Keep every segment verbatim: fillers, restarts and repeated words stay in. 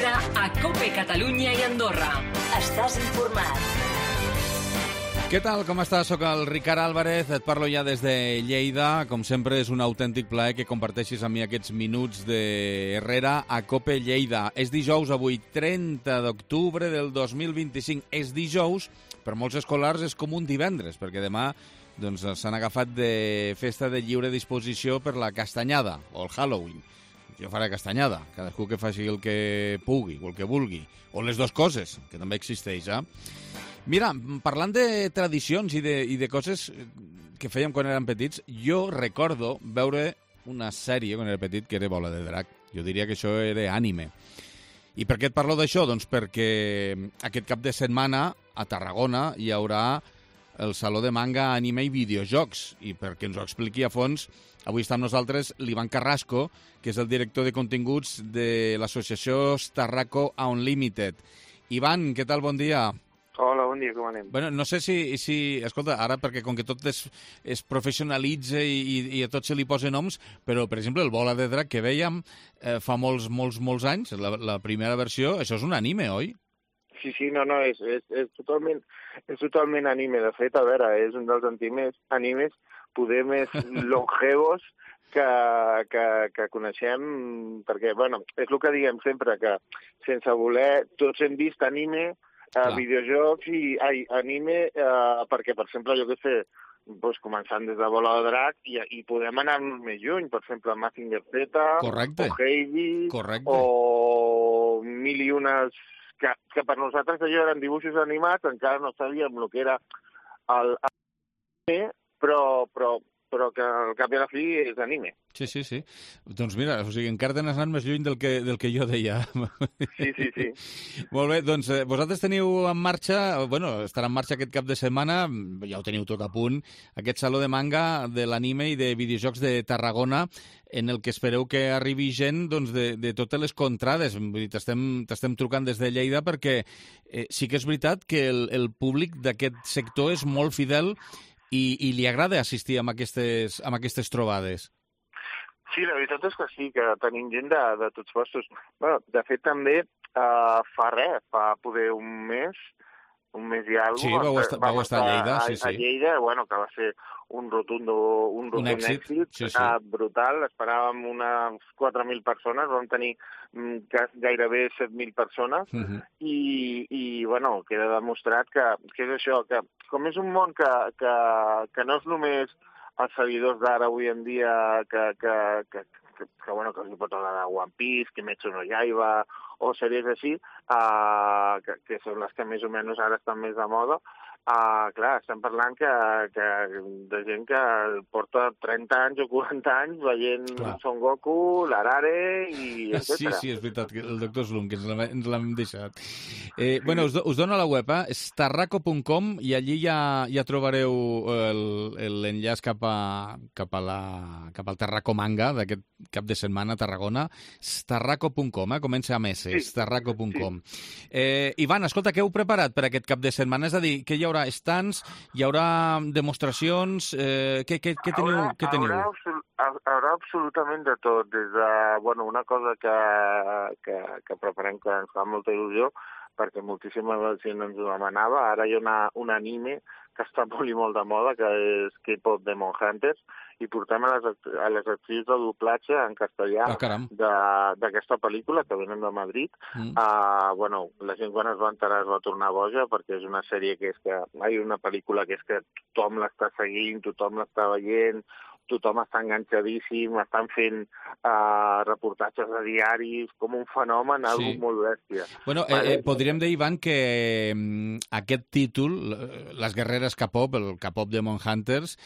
Herrera a COPE Catalunya i Andorra. Estàs informat. Què tal, com estàs? Soc el Ricard Álvarez, et parlo ja des de Lleida. Com sempre, és un autèntic plaer que comparteixis amb mi aquests minuts de Herrera a COPE Lleida. És dijous avui, trenta d'octubre del dos mil vint-i-cinc. És dijous, per molts escolars és com un divendres, perquè demà doncs, s'han agafat de festa de lliure disposició per la castanyada, o el Halloween. Jo faré castanyada, cadascú que faci el que pugui, o el que vulgui, o les dues coses, que també existeix, eh? Mira, parlant de tradicions i de, i de coses que fèiem quan érem petits, jo recordo veure una sèrie quan era petit que era Bola de Drac. Jo diria que això era ànime. I per què et parlo d'això? Doncs perquè aquest cap de setmana a Tarragona hi haurà el Saló de Manga, Anime i Videojocs. I perquè ens ho expliqui a fons, avui està amb nosaltres l'Ivan Carrasco, que és el director de continguts de l'associació Starraco Unlimited. Ivan, què tal? Bon dia. Hola, bon dia, com anem? Bueno, no sé si, si... Escolta, ara, perquè com que tot es, es professionalitza i, i, i a tot se li posa noms, però, per exemple, el Bola de Drac que vèiem eh, fa molts, molts, molts anys, la, la primera versió, això és un anime, oi? Sí, sí, no, no, és, és, és, totalment, és totalment anime. De fet, a veure, és un dels animes, animes poder més longevos que, que, que coneixem, perquè, bueno, és el que diguem sempre, que sense voler, tots hem vist anime, Uh, videojocs i ai, anime, uh, perquè, per exemple, jo què sé, doncs, començant des de Bola de Drac, i, i podem anar més lluny, per exemple, Mazinger Z, Correcte. o Heidi, Correcte. o mil i unes... Que, que per nosaltres allò eren dibuixos animats, encara no sabíem el que era el anime, però, però, però que al cap i a la fi és anime. Sí, sí, sí. Doncs mira, o sigui, encara t'has anat més lluny del que, del que jo deia. Sí, sí, sí. Molt bé, doncs eh, vosaltres teniu en marxa, bueno, estarà en marxa aquest cap de setmana, ja ho teniu tot a punt, aquest Saló de Manga de l'anime i de videojocs de Tarragona, en el que espereu que arribi gent doncs, de, de totes les contrades. T'estem t'estem trucant des de Lleida perquè eh, sí que és veritat que el, el públic d'aquest sector és molt fidel i, i li agrada assistir a aquestes, a aquestes trobades. Sí, la veritat és que sí, que tenim gent de, de tots postos. Bueno, de fet, també uh, fa res, fa poder un mes, un mes i alguna cosa. Sí, vau estar, vau estar a Lleida, sí, sí. A Lleida, bueno, que va ser un rotundo, un rotund un èxit, èxit sí, sí. Uh, brutal. Esperàvem unes quatre mil persones, vam tenir um, gairebé set mil persones, uh -huh. i, i, bueno, queda demostrat que, que és això, que com és un món que, que, que no és només els seguidors d'ara avui en dia que, que, que, que, que, bueno, que els hi pot agradar One Piece, Kimetsu no Yaiba, o sèries així, uh, que, que són les que més o menys ara estan més de moda. Uh, clar, estem parlant que, que de gent que porta trenta anys o quaranta anys veient clar. Son Goku, l'Arare i etcètera. Sí, sí, és veritat, el doctor Slum, que ens l'hem deixat. Eh, sí. Bueno, us, do, us dono la web, eh? starraco punt com, i allí ja, ja trobareu l'enllaç cap, a, cap, a la, cap al Tarraco Manga d'aquest cap de setmana a Tarragona. starraco punt com, eh? Comença amb S, sí. starraco punt com. Sí. Eh, Ivan, escolta, què heu preparat per aquest cap de setmana? És a dir, que hi haurà stands, hi haurà demostracions, eh, què, què, què teniu? Haurà, què teniu? Haurà, absol haurà absolutament de tot, des de, bueno, una cosa que, que, que preparem que ens fa molta il·lusió, perquè moltíssima gent ens ho demanava. Ara hi ha una, un anime que està molt i molt de moda, que és K-pop Demon Hunters, i portem a les, a les actrius de doblatge en castellà ah, d'aquesta pel·lícula, que venen de Madrid. Mm. Uh, bueno, la gent quan es va enterar es va tornar boja, perquè és una sèrie que és que... Hi ha una pel·lícula que és que tothom l'està seguint, tothom l'està veient, tothom està enganxadíssim, estan fent uh, reportatges a diaris, com un fenomen, sí. Algo molt bèstia. Bueno, eh, eh, podríem dir, Ivan, que eh, aquest títol, Les guerreres K-pop, el K-pop Demon Hunters,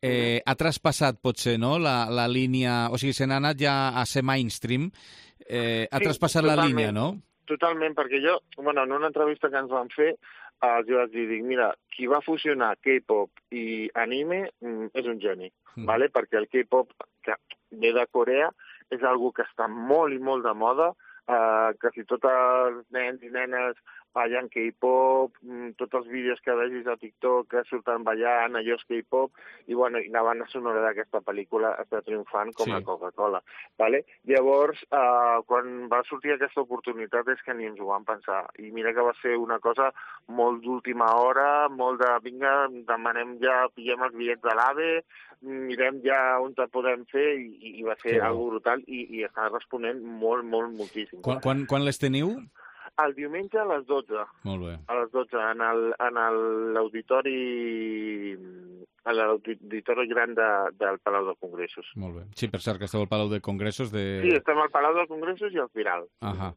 eh, ha traspassat, potser, no?, la, la línia... O sigui, se n'ha anat ja a ser mainstream, eh, ha sí, traspassat totalment, la línia, no? Totalment, perquè jo, bueno, en una entrevista que ens van fer, els jo vaig dir, dic, mira, qui va fusionar K-pop i anime mm, és un geni, mm. vale? Perquè el K-pop, que ve de Corea, és algo que està molt i molt de moda, eh, que si tots els nens i nenes ballant K-pop, tots els vídeos que vegis a TikTok que surten ballant, allò és K-pop, i, bueno, i la banda sonora d'aquesta pel·lícula està triomfant com sí. la Coca-Cola. Vale? Llavors, eh, quan va sortir aquesta oportunitat és que ni ens ho vam pensar. I mira que va ser una cosa molt d'última hora, molt de, vinga, demanem ja, pillem els bitllets de l'AVE, mirem ja on te podem fer, i, i va ser sí. algo brutal, i, i està responent molt, molt, moltíssim. Quan, quan, quan les teniu? El diumenge a les dotze. Molt bé. A les dotze, en el, en l'auditori a l'auditori gran de, del Palau de Congressos. Molt bé. Sí, per cert, que esteu al Palau de Congressos de... Sí, estem al Palau de Congressos i al Firal. Ahà.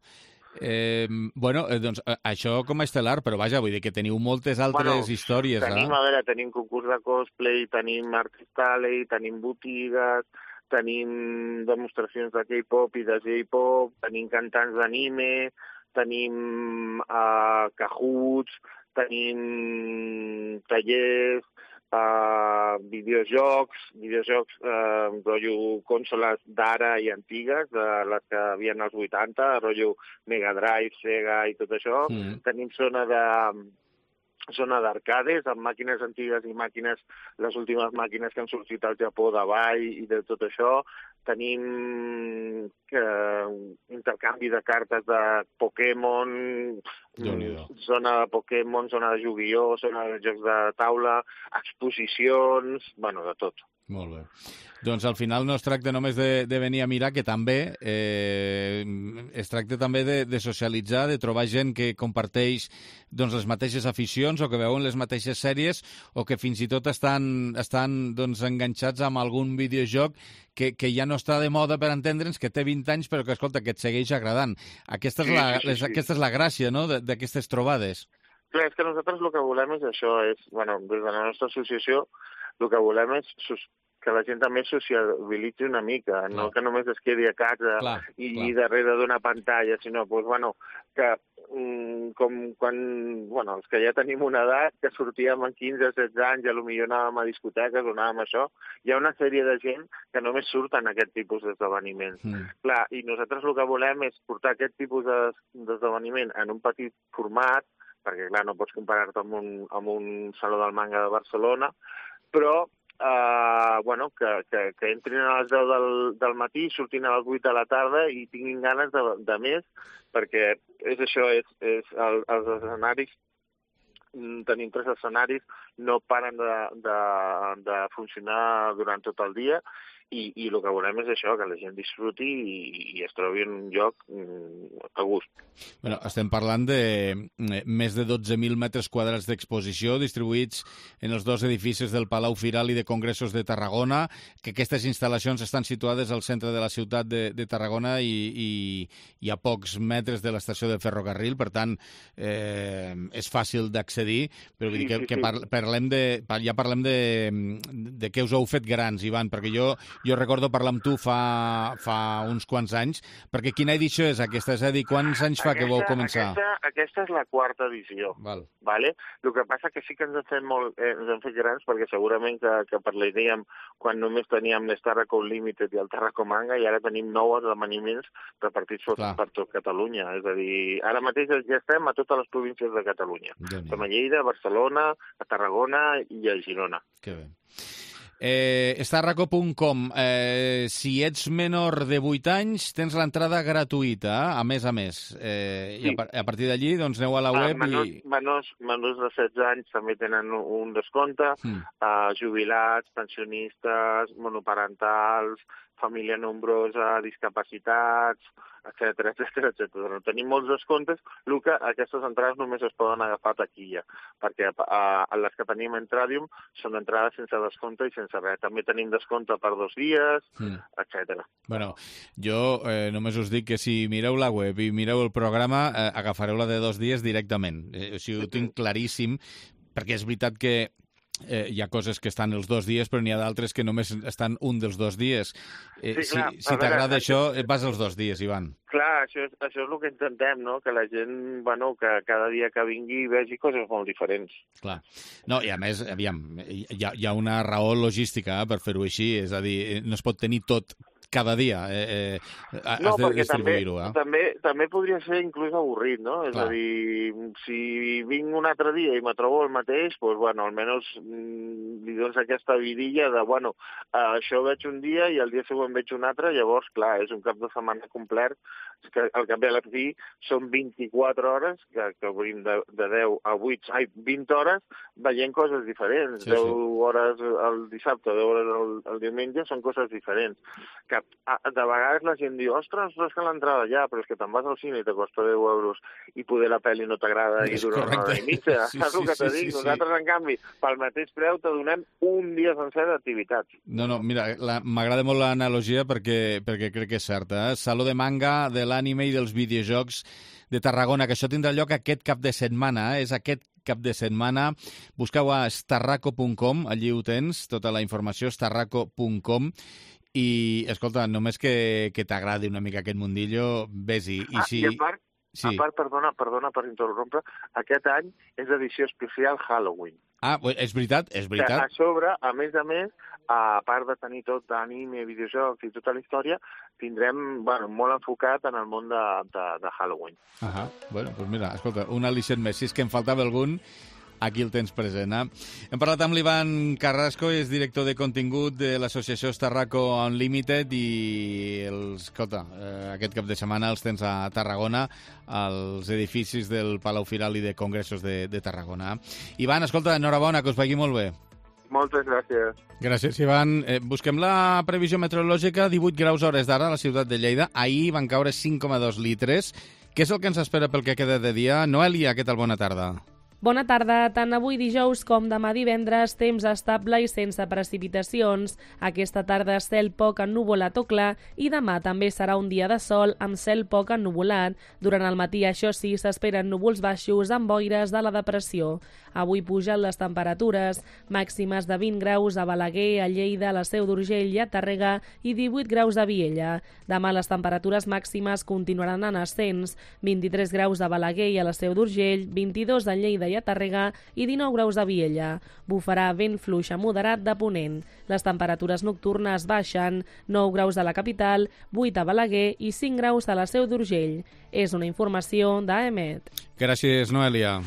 Eh, bueno, eh, doncs això com a estel·lar, però vaja, vull dir que teniu moltes altres bueno, històries, tenim, eh? A veure, tenim concurs de cosplay, tenim artist alley, tenim botigues, tenim demostracions de K-pop i de J-pop, tenim cantants d'anime, tenim uh, cajuts, tenim tallers, uh, videojocs, videojocs, uh, rotllo consoles d'ara i antigues, de les que havien als vuitanta, rotllo Mega Drive, Sega i tot això. Mm. Tenim zona de... zona d'arcades, amb màquines antigues i màquines, les últimes màquines que han sortit al Japó de ball i de tot això. Tenim eh, intercanvi de cartes de Pokémon, zona de Pokémon, zona de Yu-Gi-Oh, zona de jocs de taula, exposicions, bueno, de tot. Molt bé. Doncs al final no es tracta només de, de venir a mirar, que també eh, es tracta també de, de socialitzar, de trobar gent que comparteix doncs, les mateixes aficions o que veuen les mateixes sèries o que fins i tot estan, estan doncs, enganxats amb algun videojoc que, que ja no està de moda, per entendre'ns, que té vint anys però que, escolta, que et segueix agradant. Aquesta és la, sí, sí, sí. Les, aquesta és la gràcia, no?, d'aquestes trobades. Clar, és que nosaltres el que volem és això, és, bueno, des de la nostra associació el que volem és que la gent també sociabilitzi una mica, clar. No que només es quedi a casa clar, i, clar. i darrere d'una pantalla, sinó pues, bueno, que mm, com quan bueno, els que ja tenim una edat, que sortíem amb quinze o setze anys, ja potser anàvem a discoteques o anàvem a això, hi ha una sèrie de gent que només surten aquest tipus d'esdeveniments. Mm. Clar, i nosaltres el que volem és portar aquest tipus d'esdeveniment en un petit format, perquè clar, no pots comparar-te amb, un, amb un saló del manga de Barcelona, però Uh, bueno, que, que, que entrin a les deu del, del matí, surtin a les vuit de la tarda i tinguin ganes de, de més, perquè és això, és, és el, els escenaris, tenim tres escenaris, no paren de, de, de funcionar durant tot el dia, i, i el que volem és això, que la gent disfruti i, i es trobi en un lloc mm, a gust. Bueno, estem parlant de més de dotze mil metres quadrats d'exposició distribuïts en els dos edificis del Palau Firal i de Congressos de Tarragona, que aquestes instal·lacions estan situades al centre de la ciutat de, de Tarragona i, i, i a pocs metres de l'estació de ferrocarril, per tant, eh, és fàcil d'accedir, però vull dir que, que par parlem de, ja parlem de, de què us heu fet grans, Ivan, perquè jo Jo recordo parlar amb tu fa, fa uns quants anys, perquè quina edició és aquesta? És a dir, quants anys fa aquesta, que vau començar? Aquesta, aquesta és la quarta edició. Val. Vale? El que passa que sí que ens hem fet, molt, eh, ens hem fet grans, perquè segurament que, que parlaríem quan només teníem l'Starraco Limited i el Tarraco Manga, i ara tenim nou esdeveniments repartits Clar. per tot Catalunya. És a dir, ara mateix ja estem a totes les províncies de Catalunya. Som a Lleida, a Barcelona, a Tarragona i a Girona. Que bé. Eh, Starraco punt com, eh, si ets menor de vuit anys tens l'entrada gratuïta, a més a més, eh, sí. I a, a partir d'allí doncs aneu a la web ah, menors, i... Menors, menors de setze anys també tenen un descompte, mm. eh, jubilats, pensionistes, monoparentals, família nombrosa, discapacitats, etcètera, etcètera, etcètera. Tenim molts descomptes, el que aquestes entrades només es poden agafar a taquilla, perquè a, a les que tenim en Tradium són entrades sense descompte i sense res. També tenim descompte per dos dies, mm. etcètera. Bueno, jo eh, només us dic que si mireu la web i mireu el programa, eh, agafareu la de dos dies directament. Eh, o sigui, ho tinc claríssim, perquè és veritat que Eh, hi ha coses que estan els dos dies, però n'hi ha d'altres que només estan un dels dos dies. Eh, sí, clar, si si t'agrada això, vas els dos dies, Ivan. Clar, això és, això és el que intentem, no? Que la gent, bueno, que cada dia que vingui vegi coses molt diferents. Clar. No, i a més, aviam, hi ha, hi ha una raó logística eh, per fer-ho així, és a dir, no es pot tenir tot cada dia eh, eh, has no, de distribuir-ho. També, eh? també, també podria ser inclús avorrit, no? És Clar. a dir, si vinc un altre dia i me trobo el mateix, doncs, bueno, almenys mm, li dones aquesta vidilla de, bueno, eh, això veig un dia i el dia següent veig un altre, llavors, clar, és un cap de setmana complet, que al cap i a la fi són vint-i-quatre hores, que, que obrim de, de deu a vuit, ai, vint hores, veient coses diferents. Sí, deu sí. hores el dissabte, deu hores el, el diumenge, són coses diferents. Que a, de vegades la gent diu, ostres, ostres, que l'entrada ja, però és que te'n vas al cine i te costa deu euros i poder la pel·li no t'agrada i És dura una hora i mitja. Sí, Saps sí, el que sí, te sí, dic? sí. Nosaltres, en canvi, pel mateix preu te donem un dia sencer d'activitats. No, no, mira, la- m'agrada molt l'analogia perquè, perquè crec que és certa. Eh? Saló de manga, de l'ànime i dels videojocs de Tarragona, que això tindrà lloc aquest cap de setmana, eh? És aquest cap de setmana. Busqueu a starraco punt com, allí ho tens, tota la informació, starraco punt com, i, escolta, només que, que t'agradi una mica aquest mundillo, vés-hi. I Ah, si... I a part, Sí. a part, perdona, perdona per interrompre, aquest any és edició especial Halloween. Ah, és veritat, és Que veritat. a sobre, a més a més, a part de tenir tot d'anime, videojocs i tota la història, tindrem, bueno, molt enfocat en el món de, de, de Halloween. Ah, bueno, doncs pues mira, escolta, un al·licient més. Si és que em faltava algun, aquí el tens present. Eh? Hem parlat amb l'Ivan Carrasco, és director de contingut de l'associació Starraco Unlimited i, els, escolta, eh, aquest cap de setmana els tens a Tarragona, als edificis del Palau Firal i de Congressos de, de Tarragona. Ivan, escolta, enhorabona, que us vagi molt bé. Moltes gràcies. Gràcies, Ivan. Eh, busquem la previsió meteorològica, divuit graus hores d'ara a la ciutat de Lleida. Ahir van caure cinc coma dos litres. Què és el que ens espera pel que queda de dia? Noelia, què tal? Bona tarda. Bona tarda. Tant avui dijous com demà divendres, temps estable i sense precipitacions. Aquesta tarda cel poc ennuvolat o clar i demà també serà un dia de sol amb cel poc ennuvolat. Durant el matí, això sí, s'esperen núvols baixos amb boires de la depressió. Avui pugen les temperatures, màximes de vint graus a Balaguer, a Lleida, a la Seu d'Urgell i a Tàrrega i divuit graus a Viella. Demà les temperatures màximes continuaran en ascens, vint-i-tres graus a Balaguer i a la Seu d'Urgell, vint-i-dos a Lleida i a Tàrrega i dinou graus a Viella. Bufarà vent fluix a moderat de ponent. Les temperatures nocturnes baixen, nou graus a la capital, vuit a Balaguer i cinc graus a la Seu d'Urgell. És una informació d'A E M E T. Gràcies, Noelia.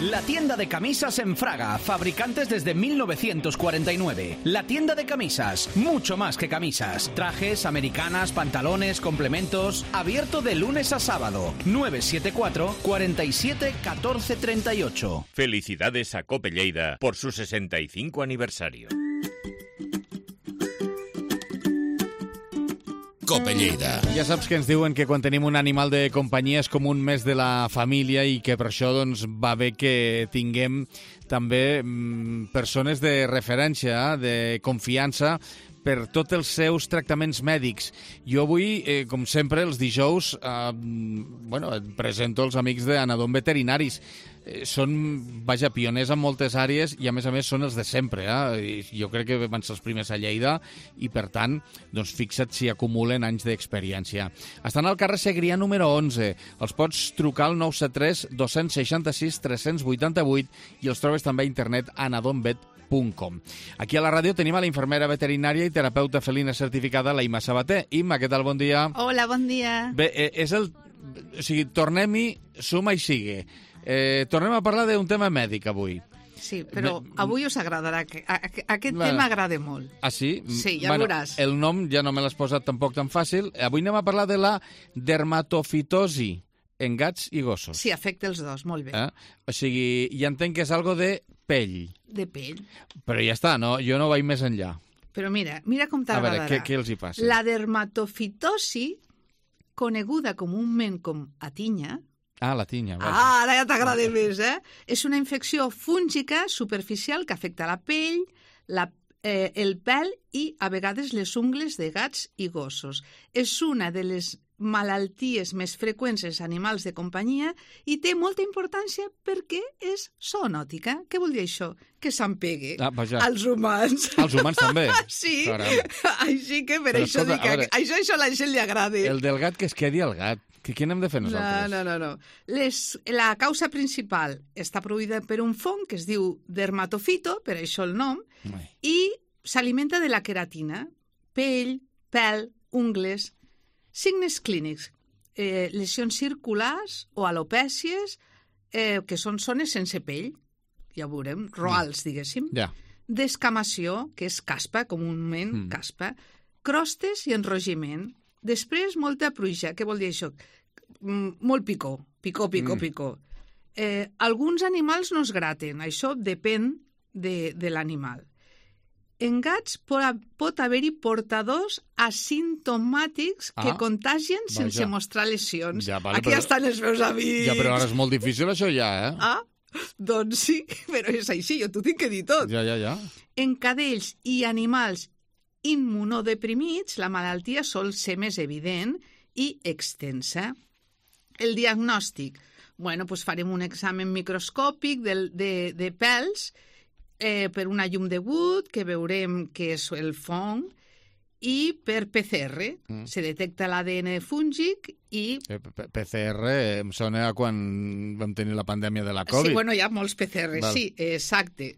La tienda de camisas en Fraga, fabricantes desde mil novecientos cuarenta y nueve. La tienda de camisas, mucho más que camisas. Trajes, americanas, pantalones, complementos. Abierto de lunes a sábado. nueve siete cuatro, cuarenta y siete, catorce treinta y ocho. Felicidades a Cope Lleida por su sesenta y cinco aniversario. Cope Lleida. Ja saps que ens diuen que quan tenim un animal de companyia és com un mes de la família i que per això doncs, va bé que tinguem també mm, persones de referència, de confiança, per tots els seus tractaments mèdics. Jo avui, eh, com sempre, els dijous, eh, bueno, et presento els amics d'Anadom Veterinaris. Eh, són, vaja, pioners en moltes àrees i, a més a més, són els de sempre. Eh? I jo crec que van ser els primers a Lleida i, per tant, doncs, fixa't si acumulen anys d'experiència. Estan al carrer Segrià número onze. Els pots trucar al nou set tres, dos sis sis, tres vuit vuit i els trobes també a internet a anadomvet punt com. Aquí a la ràdio tenim a la infermera veterinària i terapeuta felina certificada, la Imma Sabater. Imma, què tal? Bon dia. Hola, bon dia. Bé, eh, és el... O sigui, tornem-hi, suma i sigue. Eh, tornem a parlar d'un tema mèdic avui. Sí, però Bé, avui us agradarà. Que, a, a, aquest Bé. tema agrada molt. Ah, sí? Sí, ja veuràs. El nom ja no me l'has posat tampoc tan fàcil. Avui anem a parlar de la dermatofitosi en gats i gossos. Sí, afecta els dos, molt bé. Eh? O sigui, ja entenc que és algo de pell. De pell. Però ja està, no? Jo no vaig més enllà. Però mira, mira com A veure, t'agradarà. què, què els hi passa? La dermatofitosi, coneguda comúment com atinya, Ah, la tinya. Vaja. ah, ara ja t'agrada més, eh? És una infecció fúngica superficial que afecta la pell, la, eh, el pèl i, a vegades, les ungles de gats i gossos. És una de les malalties més freqüents als animals de companyia i té molta importància perquè és zoonòtica. Què vol dir això? Que s'empegue Ah, vaja. als humans. Els humans també? Sí, Caram. així que per Però això escolta, dic que a veure, això, això a la gent li agrada. El del gat que es quedi al gat. Què, què n'hem de fer No, nosaltres? no, no. no. Les, la causa principal està produïda per un fong que es diu dermatofito, per això el nom, Ai. i s'alimenta de la queratina, pell, pèl, ungles, signes clínics, eh, lesions circulars o alopècies, eh, que són zones sense pell, ja ho veurem, roals, diguéssim, Ja. descamació, que és caspa, comúment mm. caspa, crostes i enrogiment. Després, molta pruixa. Què vol dir això? Mm, molt picor, picor, picor, mm. picor. Eh, alguns animals no es graten, això depèn de, de l'animal. En gats pot, pot haver-hi portadors asimptomàtics ah, que contagien vaja. sense mostrar lesions. Ja, vale, Aquí però... estan els meus amics. Ja, però ara és molt difícil això ja, eh? Ah, doncs sí, però és així, jo t'ho tinc que dir tot. Ja, ja, ja. En cadells i animals immunodeprimits, la malaltia sol ser més evident i extensa. El diagnòstic. Bueno, doncs farem un examen microscòpic de, de, de pèls eh, per una llum de Wood, que veurem que és el fong, i per P C R. Mm. Se detecta l'A D N fúngic i... P C R em sona a quan vam tenir la pandèmia de la Covid. Sí, bueno, hi ha molts P C R, Val. sí, exacte.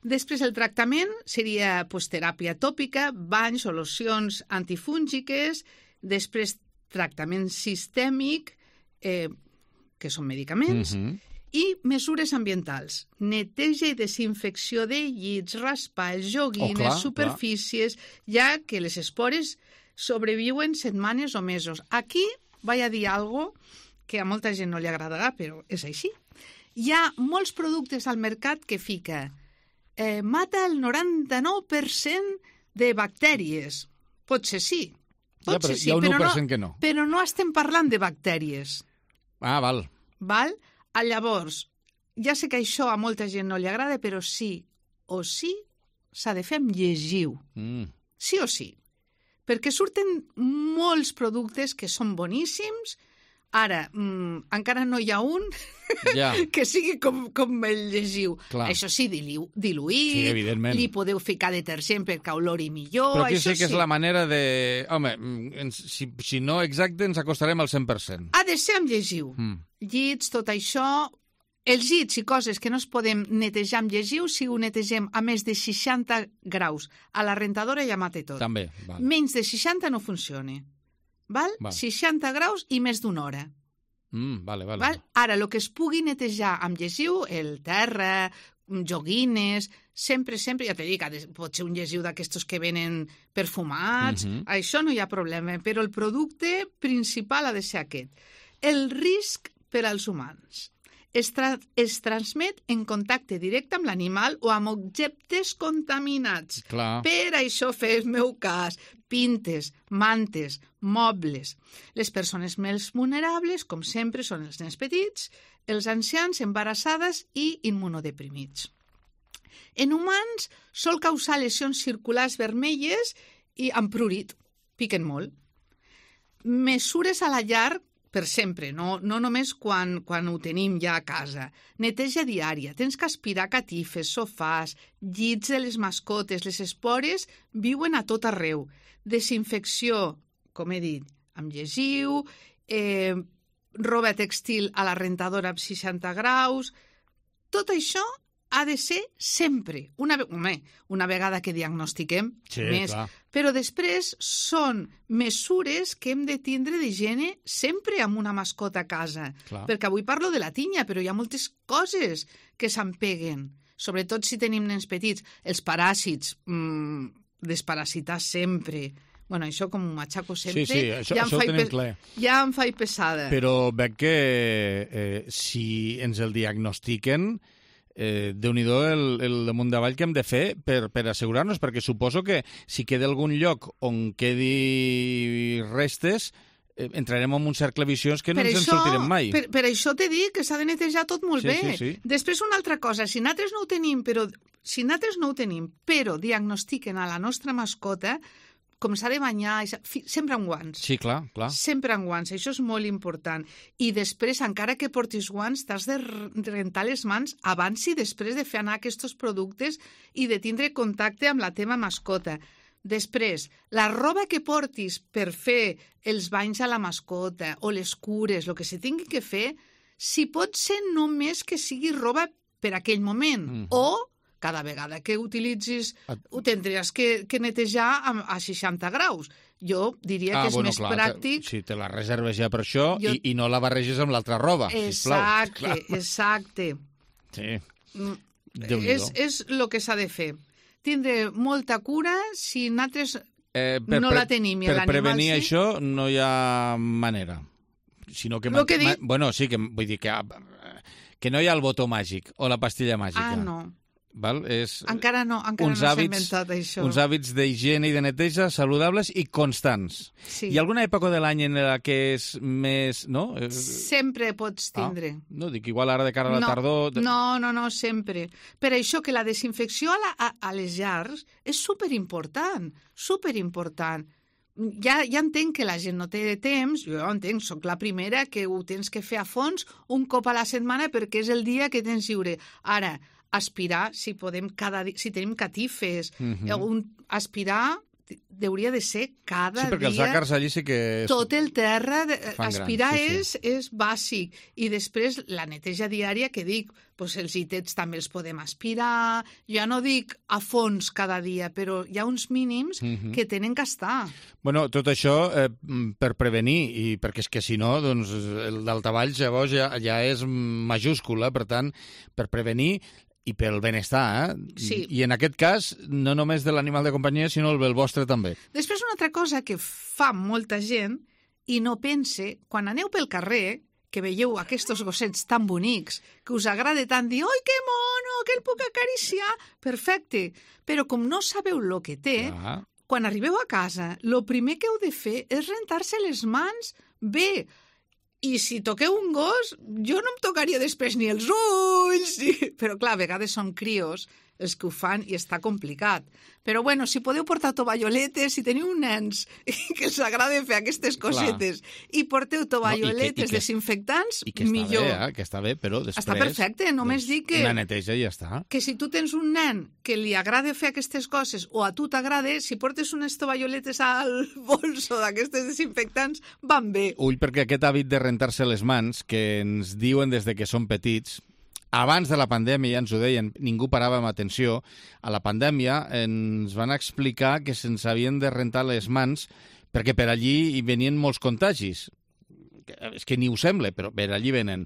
Després el tractament seria pues, teràpia tòpica, banys o locions antifúngiques, després tractament sistèmic, eh, que són medicaments, mm-hmm. i mesures ambientals, neteja i desinfecció de llits, raspalls, joguines, oh, clar, superfícies, clar. ja que les espores sobreviuen setmanes o mesos. Aquí vaig a dir algo que a molta gent no li agradarà, però és així. Hi ha molts productes al mercat que fica eh, mata el noranta-nou per cent de bactèries. Potser sí, pot ja, però ser sí, hi ha un però, u per cent no, que no. però no estem parlant de bactèries. Ah, val. Val? Ah, llavors, ja sé que això a molta gent no li agrada, però sí o sí s'ha de fer amb llegiu. Mm. Sí o sí. Perquè surten molts productes que són boníssims. Ara, mmm, encara no hi ha un ja. que sigui com, com el llegiu. Clar. Això sí, dilu diluït, sí, evidentment. Li podeu ficar detergent perquè olori millor. Però aquí això sí que és sí. la manera de... Home, ens, si, si no exacte, ens acostarem al cent per cent. Ha de ser amb llegiu. Mm. Llits, tot això... Els llits i coses que no es podem netejar amb llegiu, si ho netegem a més de seixanta graus a la rentadora ja mata tot. També, val. Menys de seixanta no funciona. Val? val? seixanta graus i més d'una hora. Mm, vale, vale. Val? Ara, el que es pugui netejar amb llegiu, el terra, joguines, sempre, sempre, ja t'he dit, pot ser un llegiu d'aquestos que venen perfumats, mm-hmm. això no hi ha problema, però el producte principal ha de ser aquest. El risc per als humans. Es, tra es transmet en contacte directe amb l'animal o amb objectes contaminats. Clar. Per això fer el meu cas. Pintes, mantes, mobles. Les persones més vulnerables, com sempre, són els nens petits, els ancians, embarassades i immunodeprimits. En humans sol causar lesions circulars vermelles i amb prurit. Piquen molt. Mesures a la llar per sempre, no, no només quan, quan ho tenim ja a casa. Neteja diària, tens que aspirar catifes, sofàs, llits de les mascotes, les espores viuen a tot arreu. Desinfecció, com he dit, amb llegiu, eh, roba textil a la rentadora amb seixanta graus... Tot això ha de ser sempre. Una, home, una vegada que diagnostiquem, sí, més. Clar. Però després són mesures que hem de tindre d'higiene sempre amb una mascota a casa. Clar. Perquè avui parlo de la tinya, però hi ha moltes coses que s'empeguen. Sobretot si tenim nens petits. Els paràsits, mmm, desparasitar sempre. Bueno, això com ho matxaco sempre, sí, sí, això, ja, això em ho pe... ja em faig pesada. Però veig que eh, si ens el diagnostiquen, eh, Déu-n'hi-do el, el damunt davall que hem de fer per, per assegurar-nos, perquè suposo que si queda algun lloc on quedi restes, eh, entrarem en un cercle viciós que no per ens això, en sortirem mai. Per, per això t'he dit que s'ha de netejar tot molt sí, bé. Sí, sí. Després una altra cosa, si nosaltres no ho tenim, però, si nosaltres no ho tenim, però diagnostiquen a la nostra mascota, com s'ha de banyar, sempre amb guants. Sí, clar, clar. Sempre amb guants, això és molt important. I després, encara que portis guants, t'has de rentar les mans abans i després de fer anar aquests productes i de tindre contacte amb la teva mascota. Després, la roba que portis per fer els banys a la mascota o les cures, el que se tingui que fer, si pot ser només que sigui roba per aquell moment, mm. o cada vegada que utilitzis ho tindries que, que netejar a, a seixanta graus. Jo diria ah, que és bueno, més clar, pràctic... Si te la reserves ja per això jo... i, i no la barreges amb l'altra roba, sisplau. Exacte, exacte. Sí, és, és el que s'ha de fer. Tindre molta cura si nosaltres eh, per, no per, la tenim i per l'animal prevenir sí. això no hi ha manera. Sinó que, Lo que dic... Bueno, sí, que vull dir que, que no hi ha el botó màgic o la pastilla màgica. Ah, no. Val? És encara no, encara no s'ha inventat això. Uns hàbits d'higiene i de neteja saludables i constants. Sí. Hi ha alguna època de l'any en la que és més... No? Sempre pots tindre. Ah, no, dic, igual ara de cara a la no, tardor... No, no, no, sempre. Per això que la desinfecció a, la, a, a les llars és superimportant, superimportant. Ja, ja entenc que la gent no té temps, jo entenc, sóc la primera que ho tens que fer a fons un cop a la setmana perquè és el dia que tens lliure. Ara, aspirar, si podem cada dia, si tenim catifes, uh-huh. un, aspirar hauria de ser cada dia... Sí, perquè dia, els àcars allí sí que... És... Tot el terra, de, aspirar gran, sí, és, sí. és bàsic. I després la neteja diària, que dic, doncs els itets també els podem aspirar, ja no dic a fons cada dia, però hi ha uns mínims uh-huh. que tenen que estar. Bueno, tot això eh, per prevenir, i perquè és que si no, doncs el daltabaix llavors ja, ja és majúscula, per tant, per prevenir i pel benestar, eh? Sí. I en aquest cas, no només de l'animal de companyia, sinó el vostre també. Després, una altra cosa que fa molta gent i no pense, quan aneu pel carrer, que veieu aquests gossets tan bonics, que us agrada tant dir «Oi, que mono, que el puc acariciar!» Perfecte, però com no sabeu el que té, ah. quan arribeu a casa, el primer que heu de fer és rentar-se les mans bé. I si toqueu un gos, jo no em tocaria després ni els ulls, i... però clar, a vegades són crios els que ho fan i està complicat. Però bueno, si podeu portar tovalloletes, si teniu nens que els agrada fer aquestes cosetes clar. I porteu tovalloletes no, i que, i que, desinfectants, i que millor. Bé, eh? Que està bé, però després... Està perfecte, només doncs, dic que... Una neteja i ja està. Que si tu tens un nen que li agrada fer aquestes coses o a tu t'agrada, si portes unes tovalloletes al bolso d'aquestes desinfectants, van bé. Ull, perquè aquest hàbit de rentar-se les mans, que ens diuen des de que som petits, abans de la pandèmia, ja ens ho deien, ningú parava amb atenció, a la pandèmia ens van explicar que se'ns havien de rentar les mans perquè per allí hi venien molts contagis. És que ni ho sembla, però per allí venen.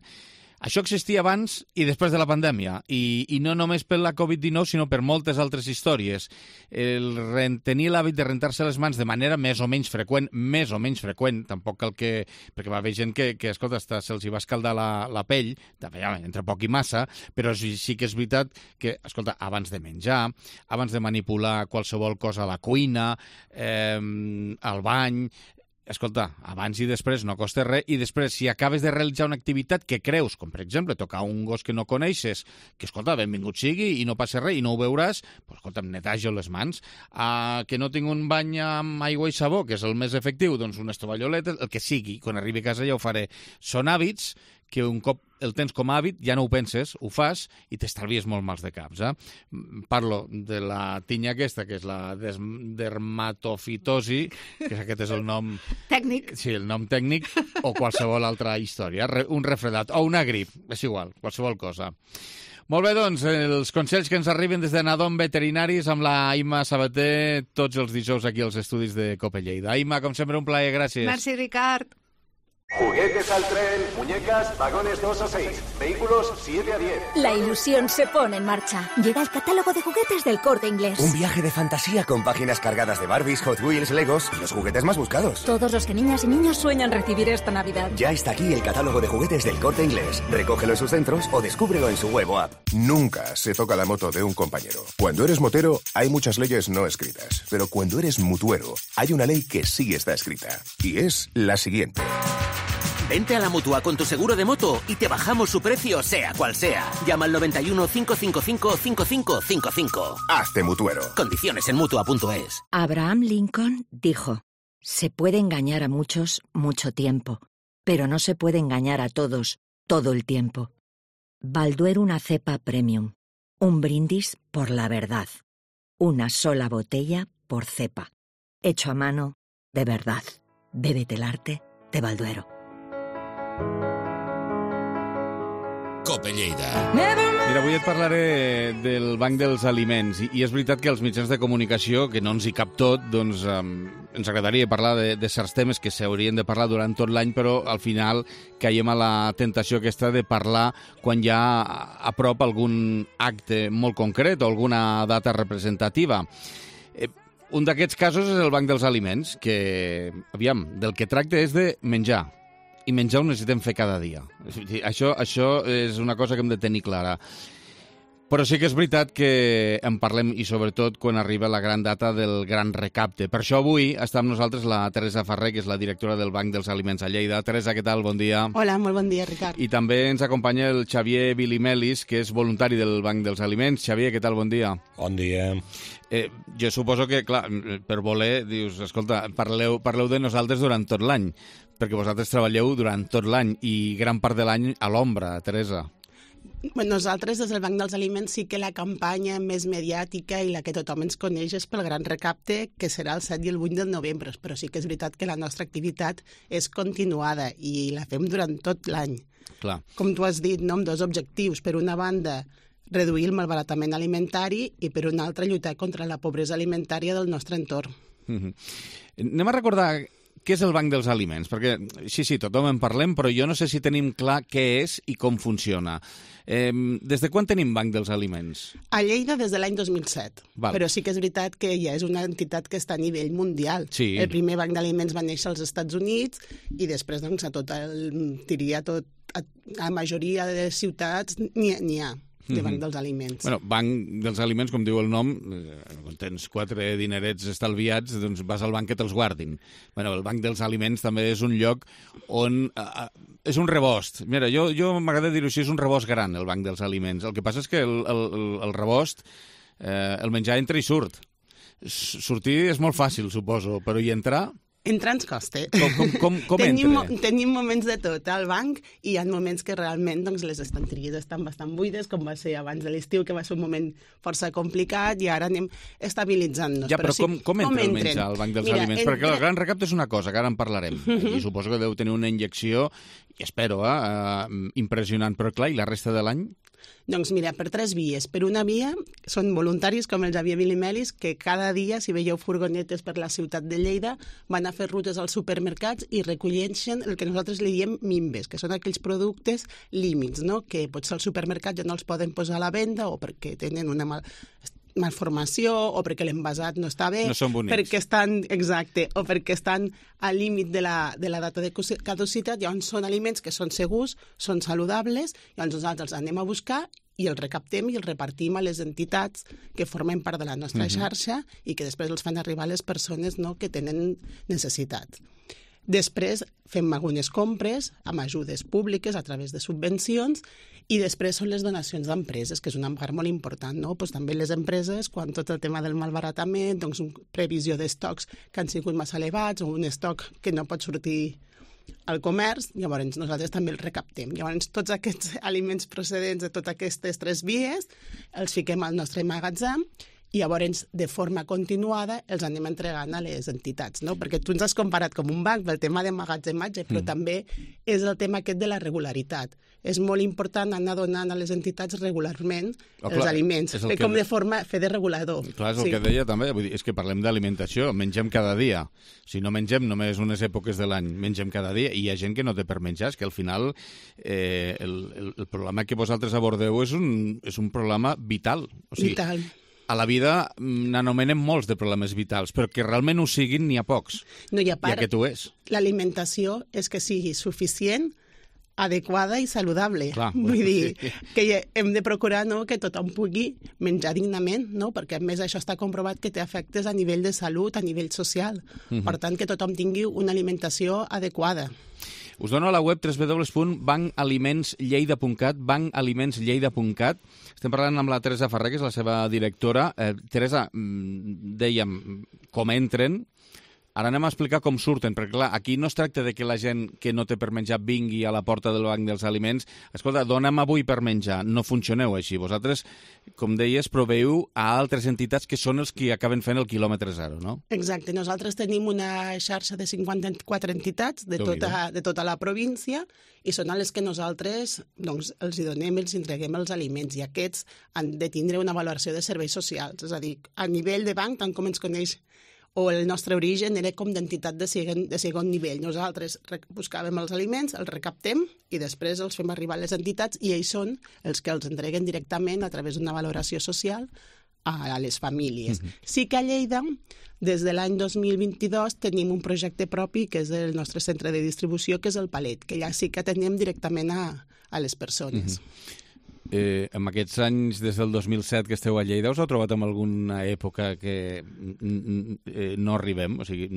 Això existia abans i després de la pandèmia, i, i no només per la covid dinou, sinó per moltes altres històries. El tenir l'hàbit de rentar-se les mans de manera més o menys freqüent, més o menys freqüent, tampoc cal que... perquè va haver gent que, que escolta, se'ls hi va escaldar la, la pell, també, entre poc i massa, però sí, sí que és veritat que, escolta, abans de menjar, abans de manipular qualsevol cosa a la cuina, eh, al bany... Escolta, abans i després no costa res, i després, si acabes de realitzar una activitat que creus, com per exemple tocar un gos que no coneixes, que, escolta, benvingut sigui i no passa res i no ho veuràs, doncs, escolta, em netejo les mans. Uh, que no tinc un bany amb aigua i sabó, que és el més efectiu, doncs unes tovalloletes, el que sigui, quan arribi a casa ja ho faré. Són hàbits que un cop el tens com a hàbit, ja no ho penses, ho fas i t'estalvies molt mals de caps. Eh? Parlo de la tinya aquesta, que és la dermatofitosi, que aquest és el nom... Tècnic. Sí, el nom tècnic, o qualsevol altra història. Un refredat, o una grip, és igual, qualsevol cosa. Molt bé, doncs, els consells que ens arriben des de Nadom Veterinaris amb la Aima Sabater, tots els dijous aquí als estudis de Cope Lleida. Aima, com sempre, un plaer, gràcies. Merci, Ricard. Juguetes al tren, muñecas, vagones dos a seis, vehículos siete a diez. La ilusión se pone en marcha. Llega el catálogo de juguetes del Corte Inglés. Un viaje de fantasía con páginas cargadas de Barbies, Hot Wheels, Legos y los juguetes más buscados. Todos los que niñas y niños sueñan recibir esta Navidad. Ya está aquí el catálogo de juguetes del Corte Inglés. Recógelo en sus centros o descúbrelo en su web o app. Nunca se toca la moto de un compañero. Cuando eres motero, hay muchas leyes no escritas. Pero cuando eres mutuero, hay una ley que sí está escrita. Y es la siguiente. Vente a la Mutua con tu seguro de moto y te bajamos su precio, sea cual sea. Llama al noventa y uno, cinco cinco cinco, cinco cinco cinco cinco. Hazte mutuero. Condiciones en mutua punto es. Abraham Lincoln dijo: se puede engañar a muchos mucho tiempo, pero no se puede engañar a todos todo el tiempo. Balduero, una cepa premium. Un brindis por la verdad. Una sola botella por cepa. Hecho a mano de verdad. Bébete el arte de Balduero. Cope Lleida. Mira, avui et parlaré del Banc dels Aliments i, i és veritat que els mitjans de comunicació, que no ens hi cap tot, doncs um, ens agradaria parlar de, de certs temes que s'haurien de parlar durant tot l'any, però al final caiem a la tentació aquesta de parlar quan hi ha a prop algun acte molt concret o alguna data representativa. Eh, un d'aquests casos és el Banc dels Aliments, que, aviam, del que tracta és de menjar. I menjar ho necessitem fer cada dia. Això, això és una cosa que hem de tenir clara. Però sí que és veritat que en parlem, i sobretot quan arriba la gran data del gran recapte. Per això avui està amb nosaltres la Teresa Ferrer, que és la directora del Banc dels Aliments a Lleida. Teresa, què tal? Bon dia. Hola, molt bon dia, Ricard. I també ens acompanya el Xavier Vilimelis, que és voluntari del Banc dels Aliments. Xavier, què tal? Bon dia. Bon dia. Eh, jo suposo que, clar, per voler, dius, escolta, parleu, parleu de nosaltres durant tot l'any, perquè vosaltres treballeu durant tot l'any i gran part de l'any a l'ombra, Teresa. Bueno, nosaltres, des del Banc dels Aliments, sí que la campanya més mediàtica i la que tothom ens coneix és pel gran recapte, que serà el set i el vuit de novembre, però sí que és veritat que la nostra activitat és continuada i la fem durant tot l'any. Clar. Com tu has dit, no? Amb dos objectius. Per una banda, reduir el malbaratament alimentari i, per una altra, lluitar contra la pobresa alimentària del nostre entorn. Mm-hmm. Anem a recordar què és el Banc dels Aliments, perquè sí, sí, tothom en parlem, però jo no sé si tenim clar què és i com funciona. Eh, des de quan tenim Banc dels Aliments? A Lleida des de l'any dos mil set, Val. Però sí que és veritat que ja és una entitat que està a nivell mundial. Sí. El primer Banc d'Aliments va néixer als Estats Units i després, doncs, a tot el, diria, tot, a la majoria de ciutats n'hi ha. de Banc dels Aliments. Bueno, Banc dels Aliments, com diu el nom, quan tens quatre dinerets estalviats, doncs vas al banc que te'ls guardin. Bueno, el Banc dels Aliments també és un lloc on... Uh, és un rebost. Mira, jo, jo m'agrada dir-ho així, és un rebost gran, el Banc dels Aliments. El que passa és que el, el, el rebost, eh, el menjar entra i surt. Sortir és molt fàcil, suposo, però hi entrar... Entrar ens costa. Com, com, com, com tenim, entra? Tenim moments de tot al banc i hi ha moments que realment doncs, les estanteries estan bastant buides, com va ser abans de l'estiu, que va ser un moment força complicat i ara anem estabilitzant-nos. Ja, però, però sí, com, com entra com el menjar al Banc dels Mira, Aliments? Entra... Perquè el gran recapte és una cosa, que ara en parlarem. I suposo que deu tenir una injecció, i espero, eh, impressionant. Però clar, i la resta de l'any? Doncs mira, per tres vies. Per una via són voluntaris com el Xavier Vilimelis, que cada dia, si veieu furgonetes per la ciutat de Lleida, van a fer rutes als supermercats i recolleixen el que nosaltres li diem mimbes, que són aquells productes límits, no? Que potser al supermercat ja no els poden posar a la venda o perquè tenen una mal... malformació o perquè l'envasat no està bé, no són bonics. Perquè estan, exacte, o perquè estan al límit de la, de la data de caducitat, llavors són aliments que són segurs, són saludables, llavors nosaltres els anem a buscar i els recaptem i els repartim a les entitats que formen part de la nostra uh-huh. xarxa i que després els fan arribar a les persones, no?, que tenen necessitat. Després fem algunes compres amb ajudes públiques a través de subvencions i després són les donacions d'empreses, que és una part molt important, no? Pues també les empreses, quan tot el tema del malbaratament, doncs una previsió d'estocs que han sigut massa elevats o un estoc que no pot sortir al comerç, llavors nosaltres també els recaptem. Llavors tots aquests aliments procedents de totes aquestes tres vies els fiquem al nostre magatzem i llavors, de forma continuada, els anem entregant a les entitats, no? Perquè tu ens has comparat com un banc pel tema de magatzematge, però mm. també és el tema aquest de la regularitat. És molt important anar donant a les entitats regularment oh, els clar, aliments, fer com de forma, fer de regulador. Clar, és el sí. que deia també, vull dir, és que parlem d'alimentació, mengem cada dia. Si no mengem només unes èpoques de l'any, mengem cada dia, i hi ha gent que no té per menjar, és que al final eh, el, el, el problema que vosaltres abordeu és un, és un problema vital. O sigui, vital. A la vida n'anomenem molts de problemes vitals, però que realment ho siguin n'hi ha pocs. No, i a part, I aquest ho és. L'alimentació és que sigui suficient, adequada i saludable. Clar, Vull dir sí. que hem de procurar, no?, que tothom pugui menjar dignament, no? Perquè a més això està comprovat que té efectes a nivell de salut, a nivell social. Uh-huh. Per tant, que tothom tingui una alimentació adequada. Us dono a la web w w w punt banc aliments lleida punt cat, banc aliments lleida punt cat. Estem parlant amb la Teresa Ferrer, que és la seva directora. Eh, Teresa, dèiem com entren, Ara anem a explicar com surten, perquè clar, aquí no es tracta de que la gent que no té per menjar vingui a la porta del banc dels aliments. Escolta, dona'm avui per menjar. No funcioneu així. Vosaltres, com deies, proveieu a altres entitats que són els que acaben fent el quilòmetre zero, no? Exacte. Nosaltres tenim una xarxa de cinquanta-quatre entitats de tota, de tota la província i són a les que nosaltres doncs, els hi donem, els entreguem els aliments i aquests han de tindre una valoració de serveis socials. És a dir, a nivell de banc, tant com ens coneix o el nostre origen era com d'entitat de segon, de segon nivell. Nosaltres buscàvem els aliments, els recaptem i després els fem arribar a les entitats i ells són els que els entreguen directament a través d'una valoració social a les famílies. Mm-hmm. Sí que a Lleida, des de l'any dos mil vint-i-dos, tenim un projecte propi que és el nostre centre de distribució, que és el Palet, que ja sí que atenem directament a, a les persones. Mm-hmm. Eh, en aquests anys, des del dos mil set que esteu a Lleida, us heu trobat en alguna època que eh, no arribem? O sigui,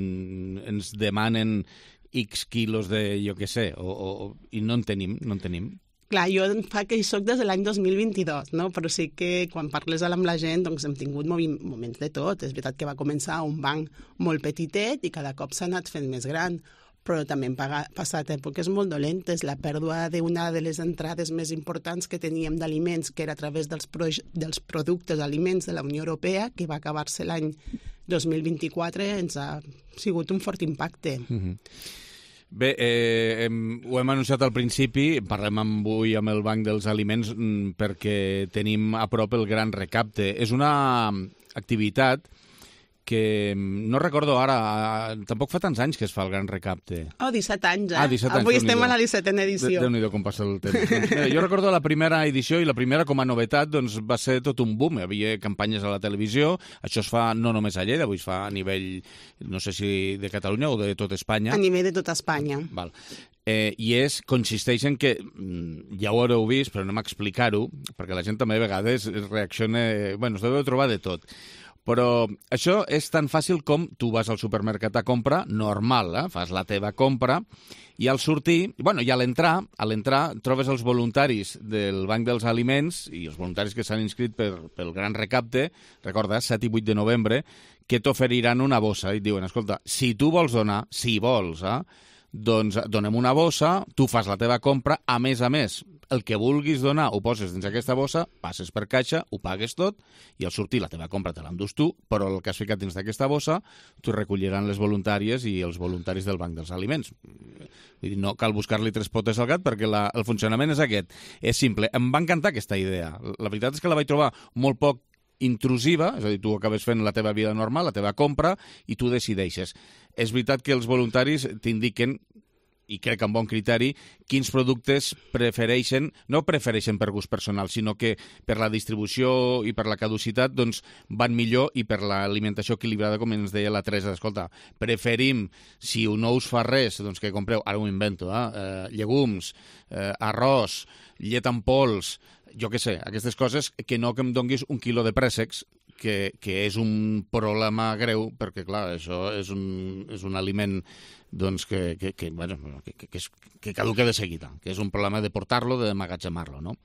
ens demanen X quilos de, jo què sé, o, o, i no en tenim, no en tenim? Clar, jo fa que hi soc des de l'any dos mil vint-i-dos, no? Però sí que quan parles amb la gent doncs hem tingut moments de tot. És veritat que va començar un banc molt petitet i cada cop s'ha anat fent més gran, però també hem passat èpoques molt dolentes. La pèrdua d'una de les entrades més importants que teníem d'aliments, que era a través dels, pro dels productes aliments de la Unió Europea, que va acabar-se l'any dos mil vint-i-quatre, ens ha sigut un fort impacte. Mm-hmm. Bé, eh, hem, ho hem anunciat al principi, parlem avui amb el Banc dels Aliments perquè tenim a prop el Gran Recapte. És una activitat que no recordo ara, tampoc fa tants anys que es fa el Gran Recapte. Oh, disset anys, eh? Ah, disset anys. Avui estem a la dissetena edició. Déu-n'hi-do com passa el temps. Doncs, mira, jo recordo la primera edició i la primera com a novetat doncs, va ser tot un boom. Hi havia campanyes a la televisió, això es fa no només a Lleida, avui es fa a nivell, no sé si de Catalunya o de tot Espanya. A nivell de tota Espanya. Val. Eh, i és, consisteix en que, ja ho haureu vist, però anem a explicar-ho, perquè la gent també a vegades reacciona... Bueno, us deveu trobar de tot. Però això és tan fàcil com tu vas al supermercat a comprar, normal, eh? Fas la teva compra, i al sortir, bueno, i a l'entrar, a l'entrar trobes els voluntaris del Banc dels Aliments i els voluntaris que s'han inscrit per, pel Gran Recapte, recorda, set i vuit de novembre, que t'oferiran una bossa i et diuen, escolta, si tu vols donar, si vols, eh? doncs donem una bossa, tu fas la teva compra, a més a més, el que vulguis donar ho poses dins aquesta bossa, passes per caixa, ho pagues tot, i al sortir la teva compra te l'endús tu, però el que has ficat dins d'aquesta bossa t'ho recolliran les voluntàries i els voluntaris del Banc dels Aliments. Vull dir, no cal buscar-li tres potes al gat perquè la, el funcionament és aquest. És simple. Em va encantar aquesta idea. La veritat és que la vaig trobar molt poc intrusiva, és a dir, tu acabes fent la teva vida normal, la teva compra, i tu decideixes. És veritat que els voluntaris t'indiquen, i crec amb bon criteri, quins productes prefereixen, no prefereixen per gust personal, sinó que per la distribució i per la caducitat doncs, van millor, i per l'alimentació equilibrada, com ens deia la Teresa. Escolta, preferim, si no us fa res, doncs que compreu, ara ho invento, eh, eh llegums, eh, arròs, llet en pols, jo què sé, aquestes coses, que no que em donguis un quilo de préssecs, que, que és un problema greu, perquè, clar, això és un, és un aliment doncs, que, que, que, bueno, que, que, que, és, que caduca de seguida, que és un problema de portar-lo, d'emmagatzemar-lo, no?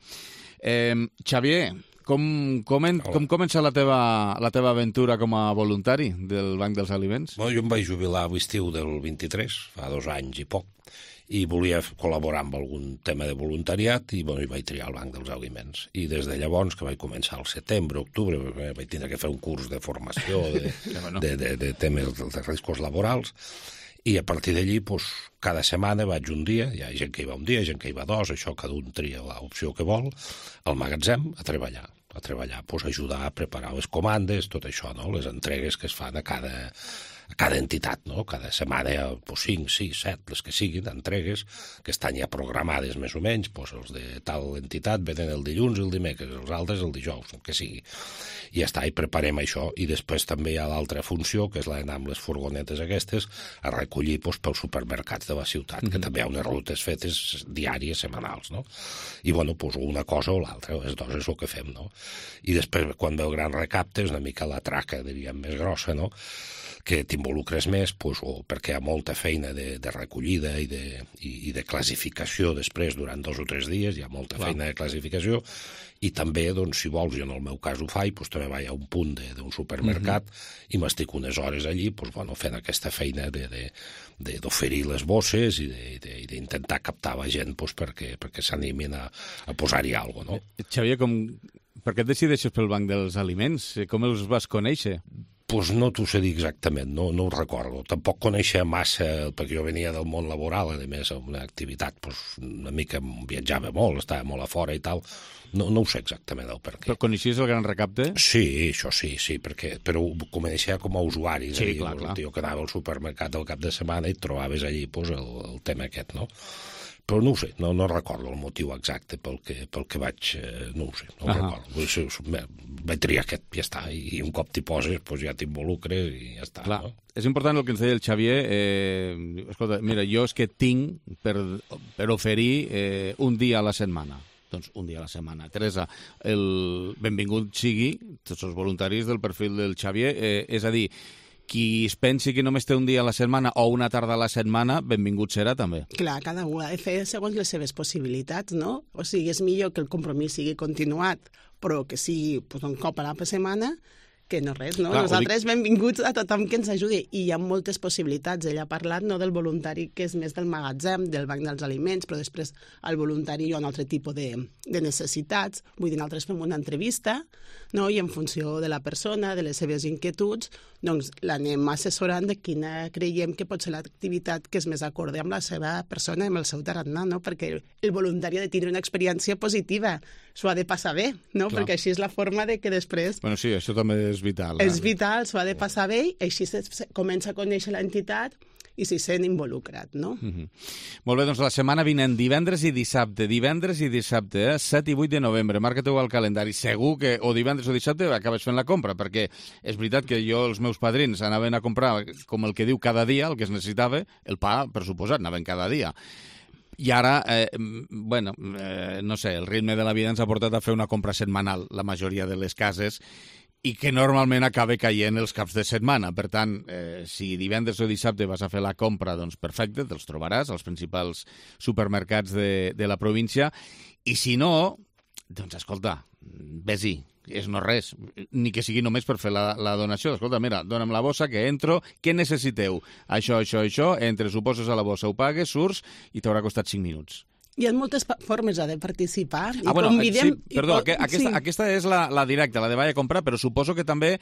Eh, Xavier, com, com, en, com comença la teva, la teva aventura com a voluntari del Banc dels Aliments? Bueno, jo em vaig jubilar a l'estiu del vint-i-tres, fa dos anys i poc, i volia col·laborar amb algun tema de voluntariat i, bueno, i vaig triar el Banc dels Aliments. I des de llavors, que vaig començar al setembre, octubre, vaig tindre que fer un curs de formació de, de, de, de temes de riscos laborals, i a partir d'allí, pues, cada setmana vaig un dia, hi ha gent que hi va un dia, gent que hi va dos, això cada un tria l'opció que vol, al magatzem a treballar, a treballar, pues, ajudar a preparar les comandes, tot això, no? Les entregues que es fan a cada... a cada entitat, no? Cada setmana, pues, cinc, sis, set, les que siguin, entregues, que estan ja programades més o menys, pues, els de tal entitat venen el dilluns i el dimecres, els altres el dijous, el que sigui. I ja està, i preparem això, i després també hi ha l'altra funció, que és l'anar amb les furgonetes aquestes a recollir, pues, pels supermercats de la ciutat, mm-hmm. que també hi ha unes rutes fetes diàries, setmanals, no? I, bueno, pues, una cosa o l'altra, les dues és el que fem, no? I després, quan ve el Gran Recapte, és una mica la traca, diríem, més grossa, no? Que t'hi t'involucres més, pues, o perquè hi ha molta feina de, de recollida i de, i, i de classificació després durant dos o tres dies, hi ha molta Clar. feina de classificació, i també, doncs, si vols, jo en el meu cas ho faig, doncs, també vaig a un punt d'un supermercat mm-hmm. i m'estic unes hores allí doncs, bueno, fent aquesta feina d'oferir les bosses i d'intentar captar la gent doncs, perquè, perquè s'animin a, a posar-hi alguna cosa, no? Xavier, com... per què et decideixes pel Banc dels Aliments? Com els vas conèixer? Pues no t'ho sé dir exactament, no, no ho recordo. Tampoc coneixia massa, perquè jo venia del món laboral, a més, una activitat, pues, una mica viatjava molt, estava molt a fora i tal. No, no ho sé exactament el per què. Però coneixies el Gran Recapte? Sí, això sí, sí, perquè, però ho coneixia com a usuari. Sí, clar, clar. Jo que anava al supermercat al cap de setmana i trobaves allí pues, el, el tema aquest, no? Però no ho sé, no, no recordo el motiu exacte pel que, pel que vaig... Eh, no ho sé, no ho recordo. Vaig triar aquest, ja està, i un cop t'hi poses, doncs ja t'involucres i ja està. Clar, no? És important el que ens deia el Xavier. Eh, escolta, mira, jo és que tinc per, per oferir eh, un dia a la setmana. Doncs un dia a la setmana. Teresa, el benvingut sigui tots els voluntaris del perfil del Xavier, eh, és a dir, qui es pensi que només té un dia a la setmana o una tarda a la setmana, benvingut serà també. Clar, cada un ha de fer segons les seves possibilitats, no? O sigui, és millor que el compromís sigui continuat, però que sigui pues, un cop a la setmana, que no res, no? Clar, nosaltres dic... benvinguts a tothom que ens ajudi. I hi ha moltes possibilitats. Ell ha parlat no, del voluntari que és més del magatzem, del Banc dels Aliments, però després el voluntari hi ha un altre tipus de, de necessitats. Vull dir, nosaltres fem una entrevista, no? I en funció de la persona, de les seves inquietuds, doncs l'anem assessorant de quina creiem que pot ser l'activitat que és més acorde amb la seva persona, amb el seu tarannà, no? Perquè el voluntari ha de tenir una experiència positiva, s'ho ha de passar bé, no? Clar. Perquè així és la forma de que després... Bueno, sí, això també és vital. És vital, s'ho ha de passar bé, i així se, se comença a conèixer l'entitat i s'hi sent involucrat, no? Mm-hmm. Molt bé, doncs la setmana vinent, divendres i dissabte, divendres i dissabte, eh? set i vuit de novembre, marca-t'ho al calendari. Segur que o divendres o dissabte acabes fent la compra, perquè és veritat que jo, els meus padrins, anaven a comprar, com el que diu, cada dia, el que es necessitava, el pa, per suposat, anaven cada dia. I ara, eh, bueno, eh, no sé, el ritme de la vida ens ha portat a fer una compra setmanal, la majoria de les cases, i que normalment acaba caient els caps de setmana. Per tant, eh, si divendres o dissabte vas a fer la compra, doncs perfecte, te'ls trobaràs als principals supermercats de, de la província. I si no, doncs escolta, ves-hi, és no res, ni que sigui només per fer la, la donació. Escolta, mira, dona'm la bossa, que entro, què necessiteu? Això, això, això, entres, ho poses a la bossa, ho pagues, surts i t'haurà costat cinc minuts. Hi ha moltes formes de participar. Ah, bueno, convidem... sí, perdó, i... aquesta, sí. aquesta és la, la directa, la de vaig a comprar, però suposo que també,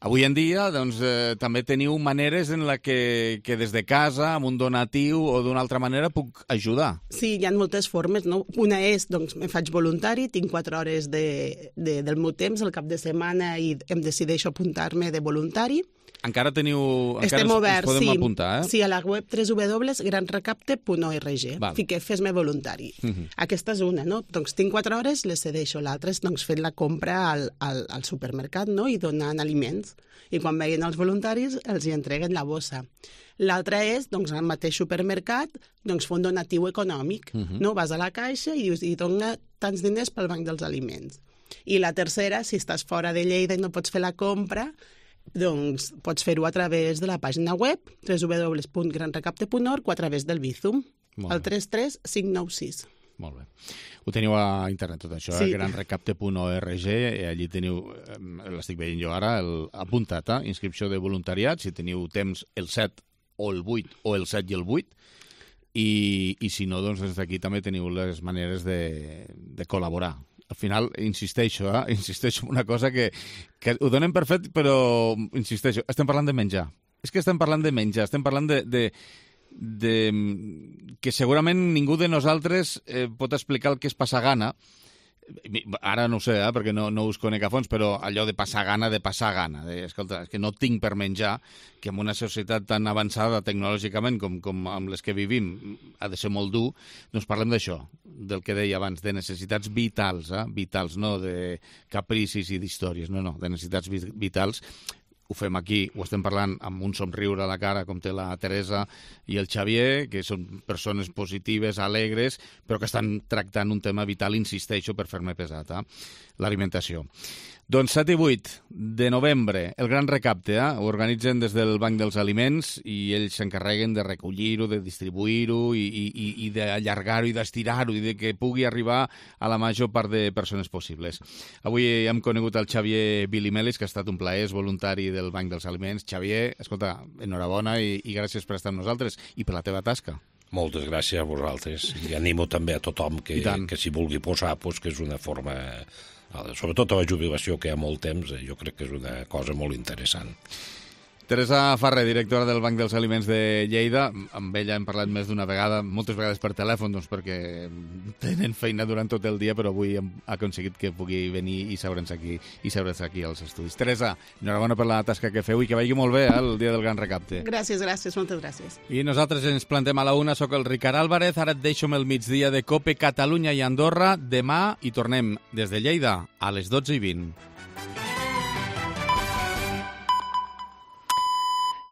avui en dia, doncs, eh, també teniu maneres en la que, que des de casa, amb un donatiu o d'una altra manera, puc ajudar. Sí, hi ha moltes formes, no? Una és, doncs, me faig voluntari, tinc quatre hores de, de, del meu temps, el cap de setmana, i em decideixo apuntar-me de voluntari. Encara teniu... Estem encara oberts, podem sí. apuntar, eh? Sí, a la web w w w punt gran recapte punt org. Fiqué fes-me voluntari. Uh -huh. Aquesta és una, no? Doncs tinc quatre hores, les cedeixo. L'altra és doncs, fent la compra al, al, al supermercat, no? I donant aliments. I quan veien els voluntaris, els hi entreguen la bossa. L'altra és, doncs, al mateix supermercat, doncs, fer un donatiu econòmic. Uh -huh. No? Vas a la caixa i dius, i dona tants diners pel Banc dels Aliments. I la tercera, si estàs fora de Lleida i no pots fer la compra, doncs pots fer-ho a través de la pàgina web w w w punt gran recapte punt org o a través del Bizum, el tres tres cinc nou sis. Molt bé. Ho teniu a internet tot això, sí. eh? gran recapte punt org, i allí teniu, l'estic veient jo ara, el, apuntat, eh? inscripció de voluntariat, si teniu temps el set o el vuit o el set i el vuit, i, i si no, doncs des d'aquí també teniu les maneres de, de col·laborar. Al final, insisteixo, eh? insisteixo en una cosa que, que ho donem per fet, però insisteixo, estem parlant de menjar. És que estem parlant de menjar, estem parlant de, de, de que segurament ningú de nosaltres eh, pot explicar el que és passar gana. Ara no ho sé, eh, perquè no, no us conec a fons, però allò de passar gana, de passar gana. De, escolta, és que no tinc per menjar, que en una societat tan avançada tecnològicament com, com amb les que vivim ha de ser molt dur, doncs parlem d'això, del que deia abans, de necessitats vitals, eh? vitals, no de capricis i d'històries, no, no, de necessitats vitals. Ho fem aquí, ho estem parlant amb un somriure a la cara, com té la Teresa i el Xavier, que són persones positives, alegres, però que estan tractant un tema vital, insisteixo, per fer-me pesat, eh? l'alimentació. Doncs set i vuit de novembre, el gran recapte, eh? Ho organitzen des del Banc dels Aliments i ells s'encarreguen de recollir-ho, de distribuir-ho i, i, i d'allargar-ho i d'estirar-ho i de que pugui arribar a la major part de persones possibles. Avui hem conegut el Xavier Bilimelis, que ha estat un plaer, és voluntari del Banc dels Aliments. Xavier, escolta, enhorabona i, i gràcies per estar amb nosaltres i per la teva tasca. Moltes gràcies a vosaltres i animo també a tothom que, que s'hi vulgui posar, pues, que és una forma... Sobretot a la jubilació, que hi ha molt temps, jo crec que és una cosa molt interessant. Teresa Farré, directora del Banc dels Aliments de Lleida. Amb ella hem parlat més d'una vegada, moltes vegades per telèfon, doncs perquè tenen feina durant tot el dia, però avui hem aconseguit que pugui venir i seure'ns aquí, i seure'ns aquí als estudis. Teresa, enhorabona per la tasca que feu i que vagi molt bé eh, el dia del gran recapte. Gràcies, gràcies, moltes gràcies. I nosaltres ens plantem a la una, soc el Ricard Álvarez, ara et deixo amb el migdia de COPE Catalunya i Andorra. Demà hi tornem des de Lleida a les dotze i vint.